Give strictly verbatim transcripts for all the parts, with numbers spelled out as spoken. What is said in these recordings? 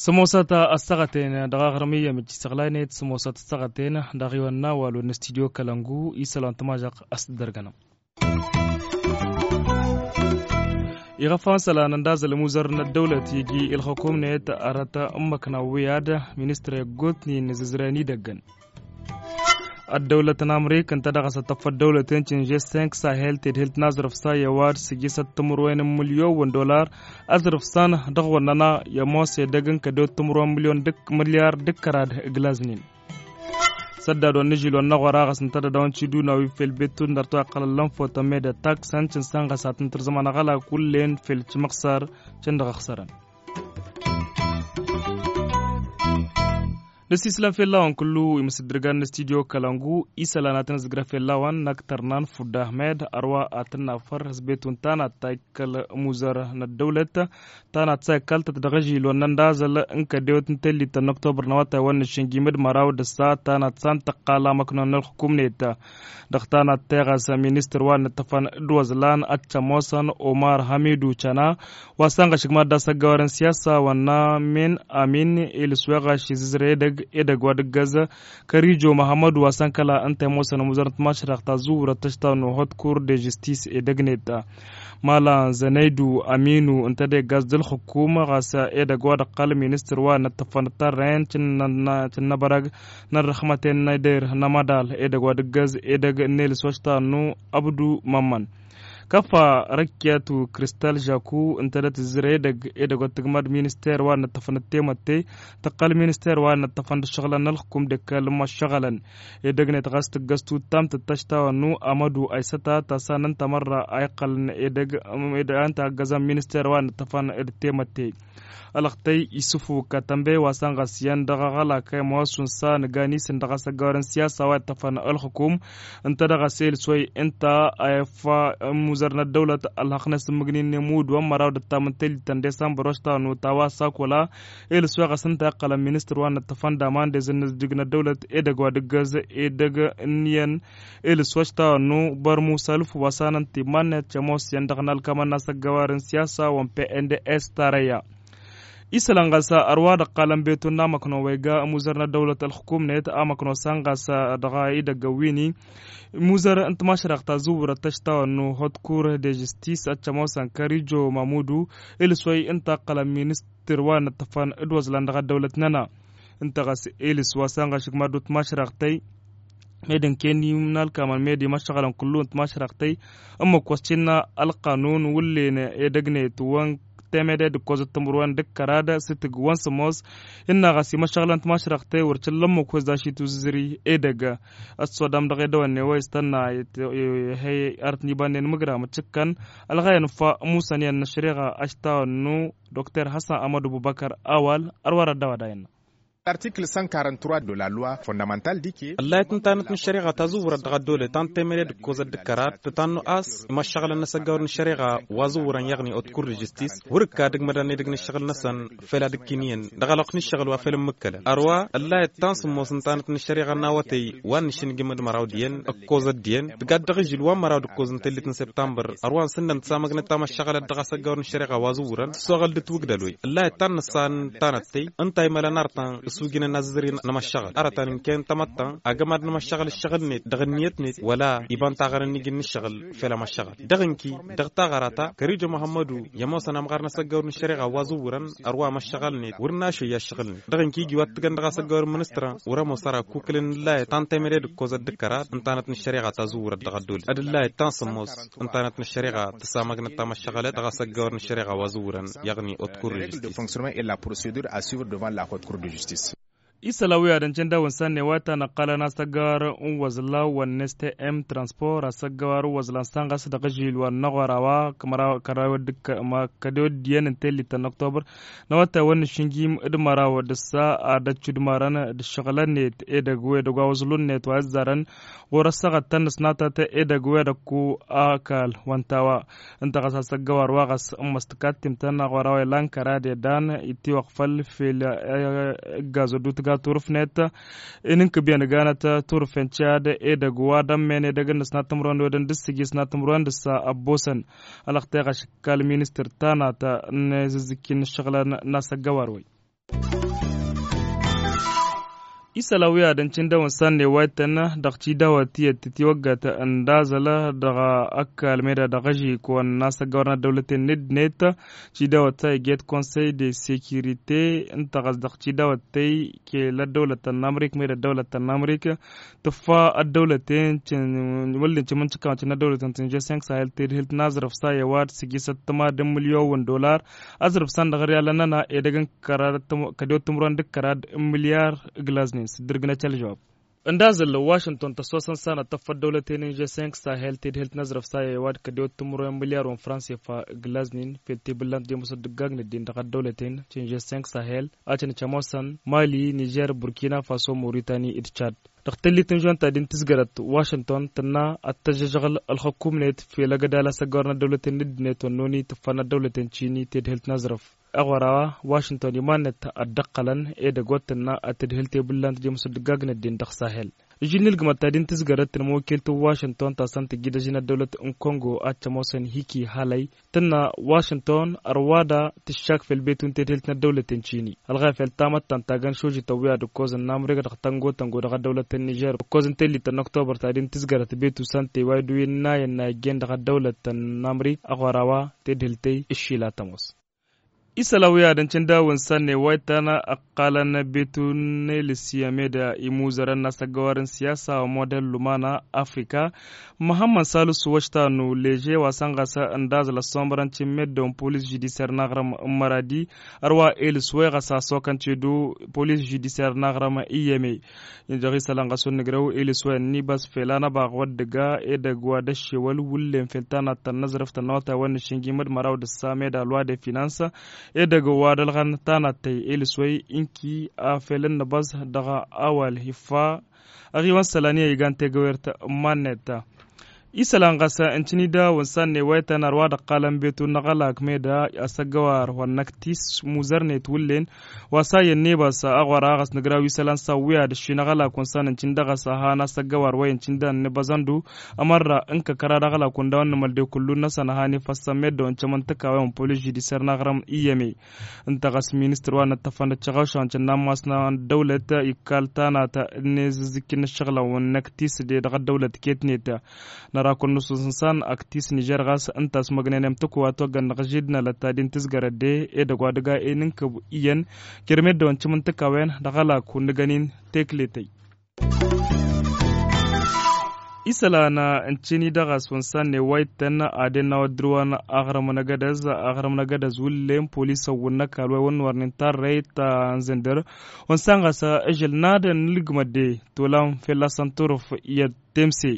Sămoosăt ăssaɣăten dăɣ-aɣrǝm iyyăm ǝcci săɣlaynet sămoosăt ăssaɣăten dăɣ-iwănna walwen n-studyo kălăngu isălan tămažăɣ. Ăsdărgănăm. Iɣăfan sălan ăndazăl muzăr n-ăddăwlăt iji ilxăkumnet arăt ǝmmăkna wi ad-ministre gotnin zǝzren idăggăn. Ăddăwlăt n-amrik ǝnta dăɣ-s ăttăffăt dăwlăten cinže cinq sahel tedhelt n-azrǝf sa i-ăwadǝm sǝjjǝsăt timǝrwen n-mǝlyon wăn dolar. Azrǝf san dăɣ-wănnăna i-ămoos edăgg n-kădewăt timǝrwen n-mǝlyon d-ǝkk mǝlyar d-ǝkkărad. Ǝglaznen săddad wa n-ižil wa n-aɣora ɣas ǝnta d-ad-dăɣ-wăn ciduna wi fel bettut n-dăr-t wa iqqălăn lănfotăn med ăttak s-ăncǝn săn ɣas ad-tǝntǝrzăm anăɣălak wǝllen fel cǝmăɣsar cǝndăɣ ăxsărăn. Nǝsislăm fell-a-wen kǝllu imǝsǝddǝrgan n-studyo kălăngu isălan ad-tăn-ǝzǝgră fell-a-wen n-ăktărnan fudda ahmed ărwa ad-tăn-nafăr hǝzbetun ta n-ad-ta ikkăl muzăr n-ăddăwlăt ta n-ad ta ikkăl tăt-dăɣ-ažil wănnăn d-azăl n-kădewăt n-tellit ta n-oktobăr n-awătay wăn n-ašǝnjim d-măraw d-ăssa ta n-ad ta n-tăqqal amăknon n-ălxukum-net. Dăɣ-ta n-ad-teɣas ministăr wa n-ǝṭṭăfăn d-wăẓlan ad-t-ămoosăn omar hamidu căna wa s-ănɣăšǝg mad-dd-asăggăwarăn siyasa wănna min amin ilǝs weɣaš izǝzrăy edăgg edăgg wa d-ǝggăz kărijo măhămmădu wa s-ănkăla ǝnta i-ămoosăn ămuzăr n-timašrăɣt ta zǝwwurăt tăštawăn n-hotkur de žistis edăgg-net. Mala zănăydu aminu ǝnta d-egg a-s d-ǝlxǝkum ɣas edăgg wa d-ăqqăl ministăr wa n-ǝṭṭăfăn d-tarrăyăn cǝnnăbărăg n-ărrăxmăten n-eder n-amăḍal edăgg wa d-ǝggăz edăgg n-elǝs wa ăštawăn-nu ăbdu mămmăn. Kăfa răkkiyăt u-kristal žaku ǝnta d-ătǝzzǝrăy edăgg edăgg wa t-tǝgmăd minister wa n-ǝṭṭăfăn d-temătte tăqqăl minister wa n-ǝṭṭăfăn d-ǝššăɣǝlăn n-ălxǝkum d-ǝkkăl n-imăššăɣălăn. Edăgg-net ɣas tǝggăz tutam tǝttăš tawănnu amădu aysăta ta s-a n-ǝnta mărra a iqqălăn edăgg ǝnta ăggăzăn minister wa n-ǝṭṭăfăn d-temătte. Ălăxtăy isǝfu katănbe wa s-ănɣăs iyyăn dăɣ-aɣălak a imawăssun s-a nǝgan isǝn dăɣ-asăggawăr n-siyasa wa iṭṭăfăn ălxǝkum ǝnta dăɣ-asel s-way ǝnta a ifa ămmuzăr n-ăddăwlăt ălhăqq n-asǝmmǝgnin n-emud wa n-măraw d-ăttam n-tellit ta n-desambăr wa s-tawănnu ta wa s-akula. Elǝs wa ɣas ǝnta a iqqălăn ministăr wa n-ǝṭṭăfăn d-aman d-ezǝnnǝzjǝg n-ăddăwlăt edăgg wa d-ǝggăz edăgg n-iyyăn elǝs wa s-tawănnu bărmu s-alǝf wa s-anăn timman-net cămoos iyyăn dăɣ-nalkamăn n-asăggawăr n-siyasa wa n-pnds tarăyya. Isălan ɣas ărwa dăɣ-qalăn beton n-amăkno wa iga ămuzăr n-ăddăwlăt ălxǝkum-net amăkno s-an ɣas dăɣ-idăgg ăwwini imuzăr n-timašrăɣt ta zǝwwurăt tăštawănnu hotkur de žistis ad-cămoosăn kărijo mamudu. Elǝs wa i-ǝnta ăqqălăn ministăr wa n-ǝṭṭăfăn d-wăẓlan dăɣ-ăddăwlăt-nănăɣ ǝnta ɣas elǝs wa s-anɣăšǝg mad-dd-timašrăɣt-tăy. Med ǝnken imnalkamăn med imăššăɣălăn kullu n-timašrăɣt-tăy ǝmmǝk wa s-cǝnna ălqanun wǝllen edăgg-net wa n-temede d-ǝkkoẓăt timǝrwen d-ǝkkărad s-tǝgg wa n-sămoos. Innă ɣas imăššăɣǝlăn timašrăɣt-tăy wăr cǝlla ǝmmǝk wa s-dašit uzǝzri edăgg ăssodam dăɣ-edăwănne wa istănna. Hăy arătăn ibannen imǝgra mǝccǝkkăn ălɣayăn fa musăn iyyăn n-ăššăreɣa aštawănnu dokter hassan amăd ăbubăkăr awal. Ărwar ăddăwăd a innă. Artikǝl cent quarante-trois de la loi fondamentale dike. Ăllayăt ǝntanăt n-ăššăreɣa ta zǝwwărăt dăɣ-ăddole ta n-temăre d-ǝkkoẓăt d-ǝkkărat tǝtannu a-s imăššăɣălăn n-asăggawăr n-ăššăreɣa wa zǝwwărăn iyyăɣni otkur d-žistis wăr-ǝkka ad-ǝgmădăn edăgg n-ǝššăɣǝl-năsăn. Fel ad-ǝkkin iyyăn dăɣ-ălwăqq n-ǝššăɣǝl wa fel ǝmmǝkkălăn ărwa ăllayăt ta n-sǝmmos ǝntanăt n-ăššăreɣa n-awătay wa n-nǝšǝnjǝm d-măraw d-iyyăn ǝkkoẓăt d-iyyăn tǝgad dăɣ-ižǝl wa n-măraw d-ǝkkoẓ n-tellit n-sibtambăr ărwa n-sǝnnăn tǝsamăgnăt tamăššăɣălăt dăɣ-asăggawăr n-ăššăreɣa wa zǝwwărăn tǝssoɣăl d-ǝtwǝgdăl wi ăllayăt ta n-nǝssan tanăttăy ǝnta a imălăn artăn ăsujǝnăn azǝzri n-amăššăɣăl arătăn ǝnken tamăttăn agămad n-amăššăɣăl ǝššăɣǝl-net dăɣ-ǝnniyăt-net wăla iba n-taɣărăn n-iji n-ǝššăɣǝl. Fel amăššăɣăl dăɣ-ǝnki dăɣ-taɣăra ta kărijo măhămmădu i-ămoosăn amɣar n-asăggawăr n-ăššăreɣa wa zǝwwărăn ărwa amăššăɣăl-net wăr našăyya ǝššăɣǝl-net dăɣ-ǝnki iji wa t-tǝggăn dăɣ-asăggawăr n-ministrăn wăr-ămoos ara ăkkuklăn ǝllayăt ta n-temăre d-ǝkkoẓăt d-ǝkkărat ǝntanăt n-ăššăreɣa ta zǝwwărăt dăɣ-ăddol ad-ǝllayăt ta n-sămmos ǝntanăt n-ăššăreɣa tǝsamăgnăt tamăššăɣălăt dăɣ-asăggawăr n-ăššăreɣa wa zǝwwărăn iyyăɣni otkur d-žistis. Isălan wi ad-ăncăn dawăn sanne wa ta n-ăqqalăn asăggăwar n-wăẓla wa n-s t m transpor asăggăwar n-wăẓla n-sănɣăs dăɣ-ažil wa n-năɣora wa kămăraw kăraw d-kădew d-iyyăn n-tellit ta n-oktobăr n-awătay wa n-ašǝnjim d-măraw d-ǝssa ad-ăccudmarăn d-ǝššăɣǝlăn-net edăgg wi edăgg wa wăẓlun-net wa ăzzarăn ɣur-ăssaɣăt ta n-ăsnatăt edăgg wi edăgg ku-akal wa n-tawa. Ǝnta ɣas asăggăwar wa ɣas ǝmmăs tǝkattimt ta n-aɣora wa ilan kăra d-edan itiwăɣ făll-fel ǝggaz ăddu. turǝfnet. Inǝnkǝb i-ănganăt turǝfen cad edăgg wa d-ămmen edăgg n-ăsnat timǝrwen wedăn d-ǝssǝgi ăsnat timǝrwen d-ǝssa ăbboosăn. Ălăxteɣ ašǝkkal ministăr tanat n-ezǝzzǝkki n-ǝššăɣǝlăn n-asăggăwar-wen. Isălan wi ad-ǝncǝn dăw-ǝnsan n-ewaytăn dăɣ-tidawăt tiyyăt titiwăggăt n-dazăl dăɣ-ăkall meda dăɣ-ažik wa n-asăggăwar n-ăddăwlăten n-dd-net. Tidawăt ta iget konsăy de sekirite ǝnta ɣas dăɣ-tidawăt tey kela ăddăwlăt n-amrik meda ăddăwlăt n-amrik tǝffa ăddăwlăten. Wăllen cǝmǝncǝkawăn cǝnna ăddăwlăten tǝnže sănk sahel tedhǝlt n-azrăf sa i-ăwadǝm sǝjjǝsăt tǝmad n-milyon wǝn dolar. Azrǝf san dăɣ-ăryalăn-nănăɣ edăgg n-kăraḍ kădewăt timǝrwen d-kăraḍ n-milyar ǝglaznen s-dd-irgǝnăt ălžăwab. Ǝndazăl washington tăssosăn sanăt tăffăt dăwlăten n-žessenk sahel tedhelt n-azrǝf sa i-ăwadǝm kădewăt timǝrwen n-milyar wǝn fransefa ǝglaznen fel tebǝllant d-emosăt d-ǝggagn ăddin dăɣ-ăddăwlăten ti n-žessenk sahel. Ad-tăn-ămoosăn mali nižer burkina faso moritani d-cad. Dăɣ-tellit n-žon ta din tǝzgărăt washington tǝnna ad-tăžžăžăɣăl ălxǝkkumnet fel ăgg ădal asăggăwăr n-ăddăwlăten n-ǝddǝnet wănnoni tǝffăn ăddăwlăten cini tedhelt n-azrăf. Aɣora washington iman-net ad-dd-ăqqălăn edăgg wa t-tǝnna ad-tǝdhǝl tebǝllant d-imǝsǝddǝggag n-ăddin dăɣ-sahel. Ǝžžin n-ilgǝmăt ta din tǝzgărăt n-imwăkkelt n-washington ta s-ănn tǝjjǝd ăžin ăddăwlăt n-kongo ad-t-ămoosăn hiki halăy tǝnna washington ărwa da tǝššak fel betu n-tedhǝlt n-ăddăwlăten cini ălɣayăf fel tamăttant ta găn šožităn wi ad-ǝkkoẓăn n-amrik dăɣ-tăngo-tăngo dăɣ-ăddăwlăt n-nižer ǝkkoẓăn tellit ta n-ăktobăr ta din tǝzgărăt betu s-ănn teway d-wi n-inayăn n-a ijjen dăɣ-ăddăwlăt n-amrik. Aɣora wa tedhǝlt tey ǝššila tămoos. Isălan wi ad-ǝncǝn dawǝn sănne wa ittan ăqqalăn betu n-elǝsya meda imuzărăn n-asăggăwarăn siyasa wa model lumana afrika. Măhămmăn salǝs wăštanu leže wa săn ɣas ǝndazăl ăssomărăn cǝmmed dăwăn polis žudisyer n-aɣrǝm n-măradi. Ărwa elǝs wa iɣăs asokăn cedu polis žudisyer n-aɣrǝm iyyăme. Dăɣ-isălan ɣas wăr nǝgrăw elǝs wa ǝnnibas fel anăbaɣ wăr dăgg-a edăgg wa d-ăššewăl wǝllen fel tanat ta n-năzrăf ta n-awătay wa n-nǝššǝnjim d-măraw d-ǝssa meda loi de finans. Edăgg wa d-ălɣan tanat tăy elǝs wa i-ǝnki a fel ǝnnăbăẓ dăɣ-awal iffa. Ăɣiwăn sălan i-a igan tegăwert n-iman-net. Isălan ɣas ǝncǝn-i dawǝn sanne wa ităn ărwa d-ăqqalăn betu n-aɣălak meda asăggăwar wa n-năktis muzărnet wǝllen. Wa s-a iyyăn nebas aɣora ɣas nǝgraw isălan s-awǝya d-ǝššin aɣălak wa n-san ǝncǝn dăɣ-s a han asăggăwar wa i-ǝncǝn dăɣ-nǝbăẓăndu. Ămărra n-kăkăra d-aɣălak wa n-dawăn nǝmăl de kullu-năsăn a han ifăssăn meddǝwăn cămăn tǝkawăyăn polis žudisyer n-aɣrǝm iyyăme. Ǝnta ɣas ministăr wa n-ăṭṭăfăn d-tiɣăwšan cǝnnan masna n-ăddăwlăt ikkal tanat n-ezǝzzǝkki n-ǝššăɣǝlăn wa n-năktis de dăɣ-ăddăwlăt ketnet. Năra kănnus n-săn aktis nižer ɣas ǝnta a-s măgnen i-amtăku wa toggăn dăɣ-židnălăt ta din tǝzgărăt de edăgg wa dăgg-a enǝnkǝb iyyăn. Kăr-meddǝwăn cǝmǝntǝkawen dăɣ-ălak wǝnnǝgăn-in tekletăy. Isălan ǝncǝn-i dăɣ-a-s wǝnsanne wa ittăn ad-ennawăt dăr-wăn aɣrǝm n-agădăz aɣrǝm n-agădăz wǝllen polisăn wǝnnăkal wa i-wănnăwărnen tarrăyt ta n-zǝndăr. Wǝnsan ɣas ažăl n-ad-ănn ǝlgǝmăt de tolam fălla-săn turǝf iyyăt temse.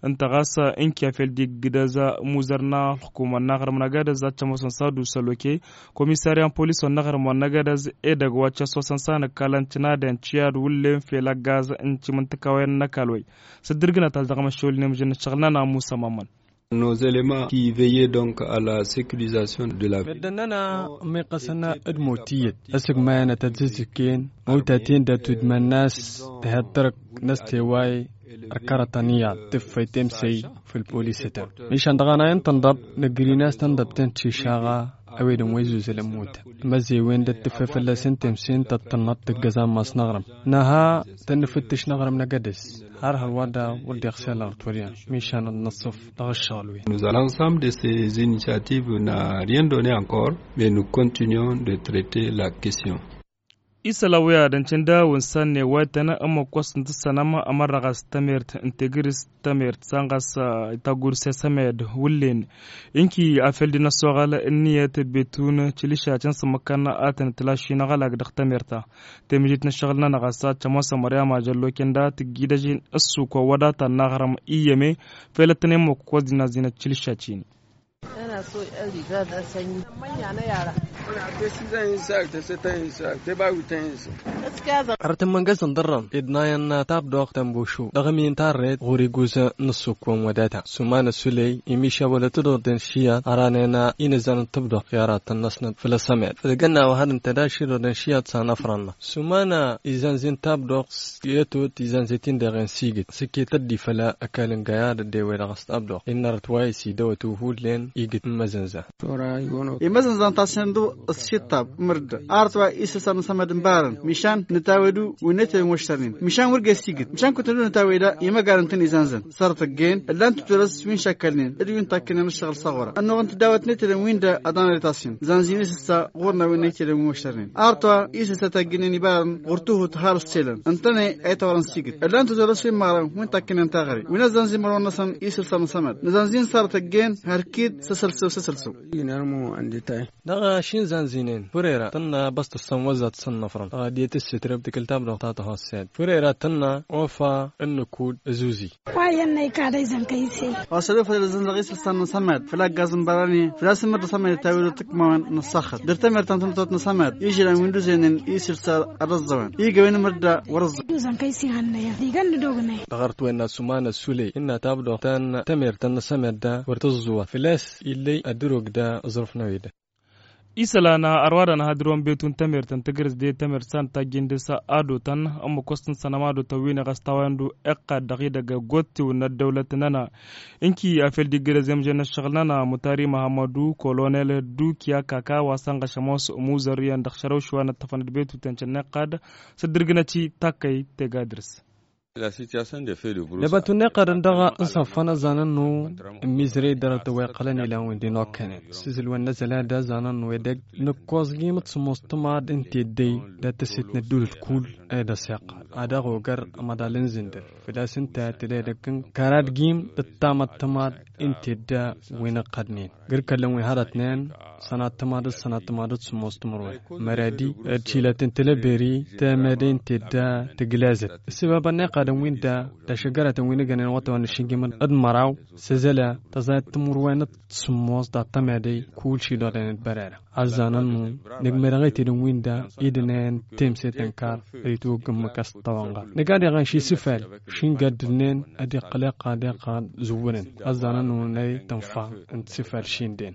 Ǝnta ɣas ǝnkiya fel d-iggǝdăz muzăr n-ălxukumăn n-aɣrǝm n-agădăz ad-t-ămoosăn s-ad-usăl oke. Komisarya n-polis wa n-aɣrǝm wa n-agădăz edăgg wa t-ăsoosăn s-anăkkalăn cǝnadăn ciyad wǝllen fel ăggaz n-timǝntǝkawen n-ăkall wa-i. S-dd-irgǝnăt a-s dăɣ-măššolnen mǝžăn n-ăššăɣǝl-nănăɣ musa mamman. Nos éléments qui veillaient donc à la sécurisation de la ville. Meddǝn-nănăɣ ămmiqqăsăn d-mot tiyyăt ăsǝgmayăn ad-tăt-zǝzzǝkken mawtaten dat-udman n-a-s tǝhăḍ tărăk n-ăsteway. Ărkărătăn iyyăḍ tǝffăy temsey făll-polisătăn. Mišan dăɣ-anay n-tǝnḍăb nǝgrin a-s tǝnḍăb tăn-tišaɣa. Ăwedăn wa izuzălăn mutăn măzzewen d-ad-tǝffăy fălla-săn temsey n-tăṭṭănnăḍ tǝggăẓ ammas n-aɣrǝm. Năha tăn-nǝfǝttǝš n-aɣrǝm n-agădăz har hărwa da wăr dd-iɣsel ărtwăryăn. Mišan ad-năṣṣăf dăɣ-ǝššăɣǝl-wen. Nous allons ensemble de ces initiatives n'a rien donné encore, mais nous continuons de traiter la question. Isălan wi ad-ǝncǝn dawǝn sanne wa ităn ămmăk wa s-tǝntǝssănăm ămărrăɣ a-s tămert n-tegǝrǝst tămert sanɣas. Taggurse s-ămed wǝllen inki afel d-inăssoɣăl ǝnniyăt betun tilǝšat n-sǝmmǝkkăn a tăn-tǝlašin aɣălak dăɣ-tămert-ta. Temǝjit n-ǝššăɣǝl-nănăɣ a-s ad-tămoosăm ăryama jălloken da tǝggidăžin ǝssuk wa wădata n-aɣrǝm iyyăme. Fel ăttănen măkkuk wa s-dinăẓinăt tilǝšat-in. Arăt n-imăngăsăn dăr-răm ed nayăn tabdoɣt tănbušu dăɣ-ămiyăn tarret ɣur-iguzăn n-ăssukwan wădata sumanăt suley imiša wălăt d-ordăn šiyat ăranen inǝzzan n-tabdoɣt i-aratăn n-asnăt făll-asămed făl gănna wăhăd n-tădaši d-ordăn šiyat s-anăfrăn-năɣ sumanăt izănzi n-tabdoɣt s-i-ătot izănzi-t-in deɣen s-igǝt s-iket ăddi făll-ăkall n-găyad ăddewe dăɣ-s tabdoɣt innă arăt wa isi dăwăt uhullen igǝt n-imăzănza. Imăzănza n-tasăn d-ăssiṭṭab mărd arăt wa isǝlsan n-asămad n-barăn mišan nǝtawedu wi n-etăwen wăššărnen mišan wăr găs igǝt mišan kutăn d-nǝtaweda imăgarăn tăn-izanzăn sărăt ăggen ăllan tǝtwălăs wi n-šakkălnen d-wi n-takkănen ăššăɣǝl s-aɣura ănnuɣ n-tǝdawăt n-etăwen wi n-da ăḍanăr itassin zanzi n-isǝssa ɣur-năwen n-etăwen wăššărnen arăt wa isǝssa tagginen ibarăn ɣur-tuhut har ăsselăn ǝntăne a itawărăn s-igǝt ăllan tǝtwălăs wi n-imăɣrăn wi n-takkănen taɣăre wi n-ăzzanzi imărwen-năsăn isǝlsan n-asămad nǝzanzi n-sărăt ăggen hărkid s-asălsăw s-asălsăw. Dăɣ-ašin zanzinen furera tănna băstăssăn wăzzat s-ănnăfrăn dăɣ-adiyăt s-sitrăb tikǝl tabdăɣ ta tăhossed furera tănna ofa ǝnnǝkud ăzuzi. Wa iyyăn n-ăykad a izăn kăy-ise. Wa săl ofăl ălzăn dăɣ-isǝlsan n-asămad făll-aggaz n-bărani făl-a-s ǝmmǝr d-asămad itawiru tǝkmawăn n-ăṣṣaxăt dăr-tamert ta n-tănătot n-asămad ižran wi n-duzenen isǝlsa ad-ăẓẓăwăn igăwen ǝmmǝr da wăr-ăẓẓăwăn. Duzăn kăy-ise hannăyăn digăn n-dognen. Dăɣ-arăt-wen n-asumana sule innă tabdăɣ ta n-tamert ta n-asămad da wăr tǝẓẓuwăt făl-a-s illăy ad-dăr-ogda ăẓrǝf n-a-wi da. Isălan ărwadăn hadǝr-wen betu n-tamert n-tǝgrǝs de tamert sa n-tajjin dăr-s a dotăn ămmăkos n-sănăm a dotăn wi n-eɣăs tawăyăn du iqqad dăɣ-idăgg gottewăn n-ăddăwlăt-nănăɣ. Ǝnki a fel d-iggǝrăz i-amžăn n-ăššăɣǝl-nănăɣ mutari măhămmădu kolonel dukiya kaka wa sănɣăš ămoos muzăr iyyăn dăɣ-šărăw šuwa n-ăṭṭăfăn d-betu tenšăn n-iqqad s-dd-ǝrgǝnăt i-takkăy. Tegga dăr-s. Dăbăt unneqădăn dăɣ-ǝnṣăffăn ăzzanăn-nu n-mizrey dăr-tăwweqălăn ilan wi n-di n-okkănen s-izǝlwăn n-azălad ăzzanăn-nu edăgg nǝkkoẓ gimǝt s-ămoos tǝmaḍ n-teddey d-ad-tăset n-ăddulăt kull. Ed ăsiqăr ad-dăɣ-ogăr ămăḍal n-zǝndăr făl-a-s ǝnta tădedăgg n-kăra d-gim d-tamăḍt tǝmaḍ n-tedda wi n-ǝqqădnen gǝr kăllăn wi hărătnen. Sănat tǝmaḍăt sănat tǝmaḍăt s-ămoos timǝrwen măradi d-šilăt n-teleberi temăde n-tedda tǝglezăt. Ǝssǝbabăn n-iqqadăn wi n-da d-ašăggăratăn wi n-ǝgănen wătawăn n-ašǝnjǝm d-măraw s-ezăla tăẓayăt timǝrwen d-sǝmmos dat-tămăde. Kull ši doḍen d-bărărăn ăzzanăn-nu nǝgmădăɣ i-tidǝn wi n-da idǝnen temset n-kar. Ăyǝtwăgg ǝmmǝk a-s tăwănɣa nǝgad iɣăn ši sǝfal šingaddǝlnen ad-iqqăl iqqad iqqad zǝwwǝnăn ăzzanăn-nu n-ăy tǝnfa n-tisǝfal šinden.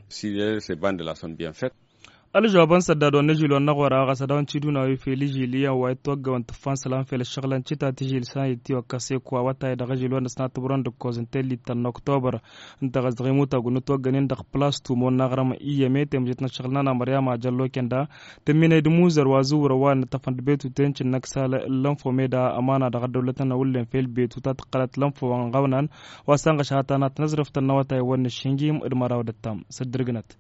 Ălžăwab n-săddad wa n-ažil wa n-aɣora ɣas ad-dăɣ-wăn tiduna wi fel ižil iyyăn wa itwăggăwăn tǝffa n-isălan fel ăššăɣǝlăn cita tižil s-a ittiwăkkăs eko awătay dăɣ-ažil wa n-ăsnat tǝbărăn d-ǝkkoẓ n-tellit ta n-oktobăr. Ǝnta ɣas dăɣ-imutag wa n-itwăggănen dăɣ-plas tumo n-aɣrăm iyyăme temjet n-ăššăɣǝl n-ana măryama jăllo kenda tǝmminăy d-imuzăr wa zǝwwărăn wa n-ăṭṭăfăn d-betu tenšǝn n-ăksal n-lănfome d-amana dăɣ-ăddăwlătăn n-awǝllen fel betu ta tǝqqălăt lănfo wa n-ɣăwnan wa s-ănɣăš hata n-ad-tăn-ăẓrǝf tănnăwătay wa n-ăššinjim d-măraw d-ăttam s-ăddărgǝnăt.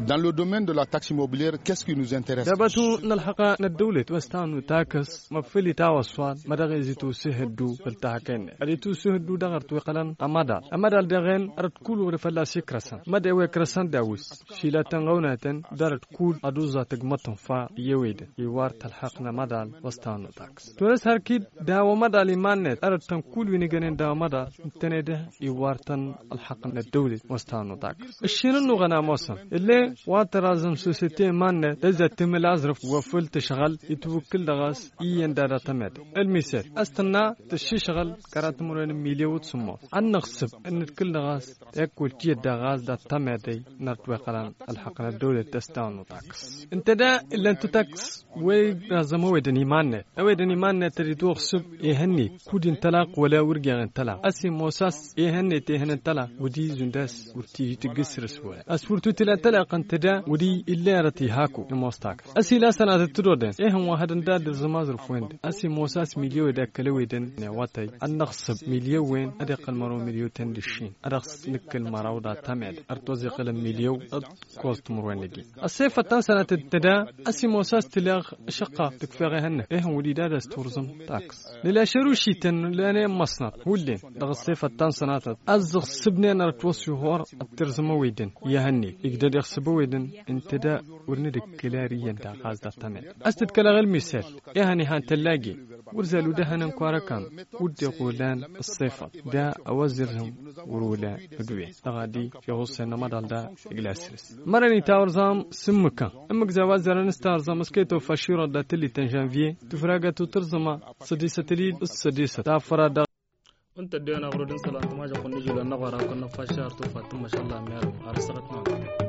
Dans le domaine de la taxe immobilière qu'est-ce qui nous intéresse? Dăbătu n-ălxăqq n-ăddăwlăt wa s-tanu takǝs măffăl itawăswad mădăɣ-e zi tusǝhǝddu făll-tahăken ad-itusǝhǝddu dăɣ-ărtwiqălăn ămăḍal ămăḍal dăɣ-en ărăt kull wăr-e fălla-s ikrăsăn mădde wa ikrăsăn d-awǝs šilătăn ɣăwnătăn d-ărăt kull ad-uẓẓa tǝgmăt tǝnfa i-ewedăn iwar tălxăqq n-ămăḍal wa s-tanu takǝs. Tolăs hărkid daw-ămăḍal iman-net ărăt tăn-kull wi n-igănen daw-ămăḍal ǝntăne dăh-i iwar-tăn ălxăqq n-ăddăwlăt wa s-tanu takǝs. Ǝššin ănnuɣăn a ămoosăn ǝlle wa tăraẓăm sosete iman-net tăzzăt timǝl aẓrǝf wa făll-tǝšɣăl itwǝkkǝl dăɣ-s iyyăn dada tămedăy ălmisăl a-s tǝnna tǝššǝšɣǝl kăraḍ timǝrwen n-milyon d-sǝmmos ad-năɣsǝb ad-nǝdkǝl dăɣ-s. Eko ǝltiyyăt daɣ a-s dat-tamedăy n-ărtweqălăn ălxăqq n-ăddăwlăt tăstawăn n-utakǝs ǝnta da ǝllăn tutaks. Wa iraẓăm ăwedăn iman-net ăwedăn iman-net ad-itwăɣsǝb ihănnet kud-intălaq wăla wăr geɣ intălaq a-s imoos a-s ihănnet ihăn intălaq wăr t-izund a-s wăr t-iji tǝggǝs săr-s wăla a-s wăr t-utǝl intălaq ǝnta da wăr-i illa erăt ihaku imoos takǝs a-s ila sănatăt tǝdodăn ihăn wa hădăn da dăr-zămazăr-wen-dăɣ a-s imoos a-s milyon d-akkăl ăwedăn n-iwătăy ad-năɣsǝb milyon-wen ad-iqqăl măraw milyon ten d-ǝššin ad-dăɣ-s nǝkkǝl măraw dat-tămed ărtoẓ iqqălăn milyon d-koẓ timǝrwen-agi. Ăssefăt ta n-sănatăt tăda a-s imoos a-s tǝleɣ ašăqqa tǝkfeɣ ehănnăt ehăn wăr-dd ad-ăsturẓǝm takǝs nǝla šărušităn nǝla n-immăṣnăt hullen dăɣ-ăssefăt ta n-sănatăt a-s dăɣ-sǝbnen ărăt wăssi hor ăttirzǝm ăwedăn i-ehănnet igdăd iɣsǝb ăwedăn ǝnta da wăr nǝdǝkkǝl ar iyyăn daɣ a-s dat-tămed a-s tǝdkălăɣ ălmisăl ehăn ihan tăllage. wăr zalud ehăn n-kăwar-ăkall. Wăr dd-iɣulan ăṣṣefăḍ da a-wa zărrǝm wăr-olan. Ădduwen dăɣ-ad-iɣuṣṣen n-amăḍal da. Igla săr-s mărăn itawăr zam s-ǝmmǝkăn ǝmmǝk za wa zărrăn s-tawăr zam s-kăy-tofăšširăt da tǝllit n-žănvye tǝfragăt u-tǝrzǝma sădisăt ǝlid s-sădisăt tafăra dăɣ-ǝnta ădduwen aɣrud n-isălan tǝmažăɣ kunna ižulăn n-aɣora kănna faššar tufa tǝmmăšălla miyalăn ar ăssăɣăt n-aɣrud.